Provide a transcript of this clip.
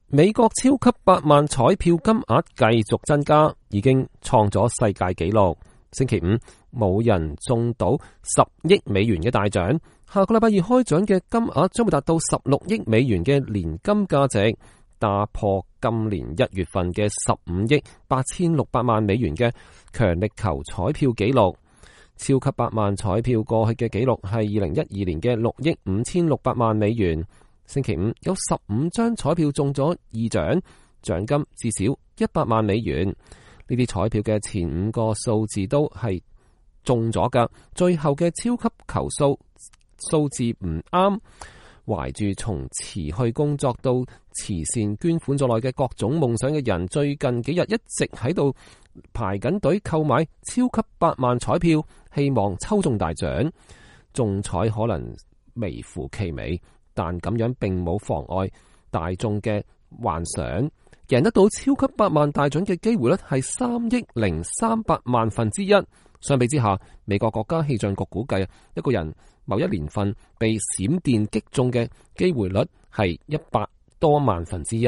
美國超級百萬彩票金額繼續增加，已經創咗世界紀錄。星期五冇人中到10億美元嘅大獎，下個禮拜二開獎嘅金額將會達到16億美元嘅年金價值，打破今年1月份嘅15億8600萬美元嘅強力球彩票紀錄。超級百萬彩票過去嘅紀錄係2012年嘅6億5600萬美元。星期五有15張彩票中咗2獎，獎金至少100萬美元。呢啲彩票嘅前5個數字都係中咗噶，最後嘅超級球數字唔啱。懷住從辭去工作到慈善捐款在內嘅各種夢想嘅人，最近幾日一直喺度排緊隊購買超級百萬彩票，希望抽中大獎。中彩可能微乎其微，但咁樣並冇妨礙大眾嘅幻想。贏得到超級百萬大獎嘅機會率係3億0300萬分之一。相比之下，美國國家氣象局估計，一個人某一年份被閃電擊中嘅機會率係100多萬分之一。